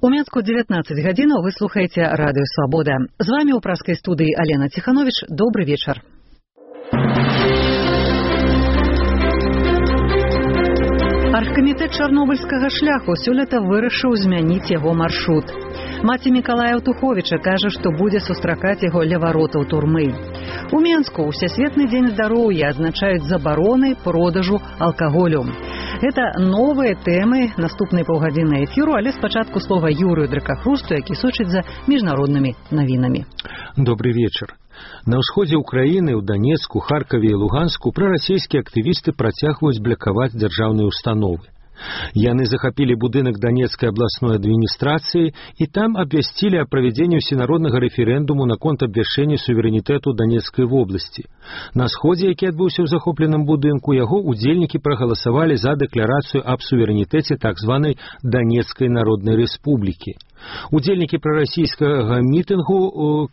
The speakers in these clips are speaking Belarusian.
У Мінску 19 гадзінаў вы слухаеце радыё Свабода. З вами ў праскай студыі Алена Ціхановіч. Добры вечар. Аргкамітэт чарнобыльскага шляху сёлета вырашыў змяніць яго маршрут. Маці Мікалая Ўтуховіча кажа, што будзе сустракаць яго ля варотаў турмы. У Мінску Усесветны дзень здароўя адзначаюць забароны продажу алкаголю. Гэта новыя тэмы наступнай паўгадзіны эфіру, але спачатку слова Юрыю Дракахрусту, які сочыць за міжнароднымі навінамі. Добрый вечар. На ўсходзе ўкраіны, ў Данецку, Харкаве і Луганску прарасійскія актывісты працягваюць блакаваць дзяржаўныя установы. Яны захапілі будынак Данецкай абласной адміністрацыі і там абвясцілі о правядзенні ўсенароднага рэферэндуму наконт абвяшчэння суверэнітэту Данецкай вобласці. На сходзе, які адбыўся ў захопленым будынку, яго удзельнікі прагаласавалі за дэкларацыю аб суверэнітэце так званай Данецкай народнай рэспублікі. Удзельнікі прарасійскага мітынгу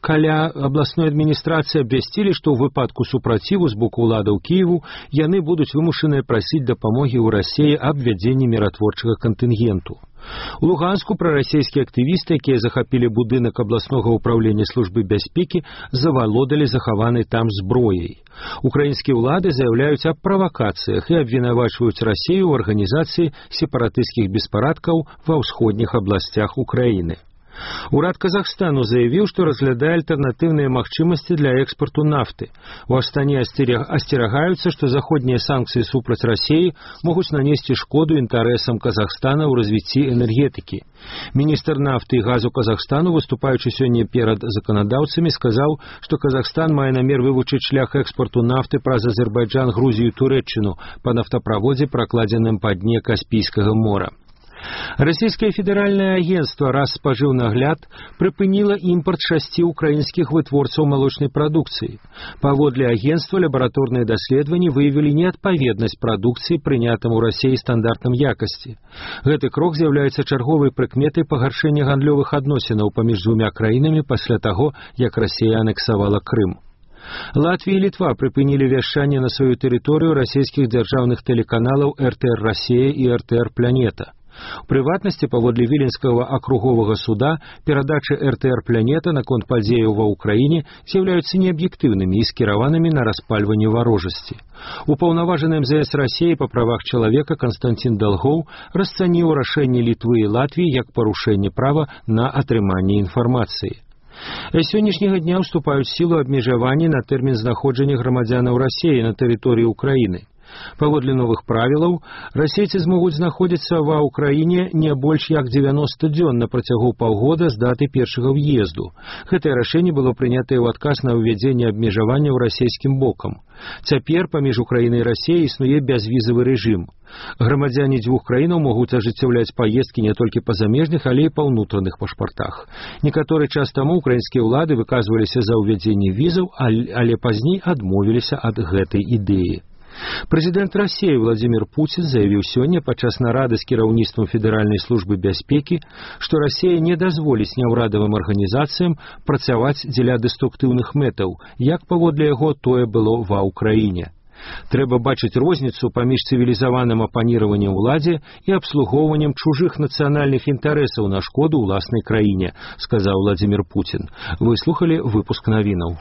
каля абласной адміністрацыі абвясцілі, што ў выпадку супраціву з боку ўладаў Кіеву яны будуць вымушаныя прасіць дапамогі ў Расіі аб вядзенні міратворчага кантынгенту. У Луганску прарасійскія актывісты, якія захапілі будынак абласнога ўправлення службы бяспекі, завалодалі захаванай там зброяй. Украінскія ўлады заяўляюць аб правакацыях і абвінавачваюць Расію ў арганізацыі сепаратысцкіх беспарадкаў ва ўсходніх абласцях Украіны. Урад Казахстану заявіў, што разглядае альтэрнатыўныя магчымасці для экспарту нафты. У Астане асцерагаюцца, што заходнія санкцыі супраць Расіі могуць нанесці шкоду інтарэсам Казахстана ў развіцці энергетыкі. Міністр нафты і газу Казахстану, выступаючы сёння перад заканадаўцамі, сказаў, што Казахстан мае намер вывучыць шлях экспарту нафты праз Азербайджан, Грузію і Турэччыну па нафтаправодзе, пракладзеным па дне Каспійскага мора. Расійскае федэральнае агенцтва «Расспажыўнагляд» прыпыніла імпарт 6 украінскіх вытворцаў малочнай прадукцыі. Паводле агенцтва лабараторныя даследаванні выявілі неадпаведнасць прадукцыі прынятым у Расіі стандартам якасці. Гэты крок з'яўляецца чарговай прыкметай пагаршэння гандлёвых адносінаў паміж двумя краінамі пасля таго, як Расія анексавала Крым. Латвія і Літва прыпынілі вяшчанне на сваю тэрыторыю расійскіх дзяржаўных тэлеканалаў РТР Расія і РТР Планета. У прыватнасці, паводле Віленскага акруговага суда, перадачы РТР Планета наконт падзеяў ва ўкраіне з'яўляюцца неаб'ектыўнымі і скіраванымі на распальванне варожасці. Упаўнаважаны МЗС Расіі па правах чалавека Канстантин Далгоў расцаніў рашэнне Літвы і Латвіі як парушэнне права на атрыманне інфармацыі. З сённяшняга дня ўступаюць сілу абмежаванні на тэрмін знаходжання грамадзянаў Расіі на тэрыторыі ўкраіны. Паводле новых правілаў, расейцы змогуць знаходзіцца ва ўкраіне не больш як 90 дзён на працягу паўгода з даты першага ўезду. Гэтае рашэнне было прынятае ў адказ на ўвядзенне абмежаванняў расійскім бокам. Цяпер паміж Украінай і Расіяй існуе бязвізавы рэжым. Грамадзяне дзвюх краінаў могуць ажыццяўляць паездкі не толькі па замежных, але і па ўнутраных пашпартах. Некаторы час таму украінскія ўлады выказваліся за ўвядзенне візаў, але пазней адмовіліся ад гэтай ідэі. Прэзідэнт Расіі Владзімір Пуцін заявіў сёння падчас нарады з кіраўніцтвам Федэральнай службы бяспекі, што Расія не дазволіць няўрадавым арганізацыям працаваць дзеля дэструктыўных мэтаў, як паводле яго тое было ва ўкраіне. Трэба бачыць розніцу паміж цывілізаваным апаніраваннем уладзе і абслугоўваннем чужых нацыянальных інтарэсаў на шкоду ўласнай краіне, сказаў Владзімір Пуцін. Вы слухалі выпуск навінаў.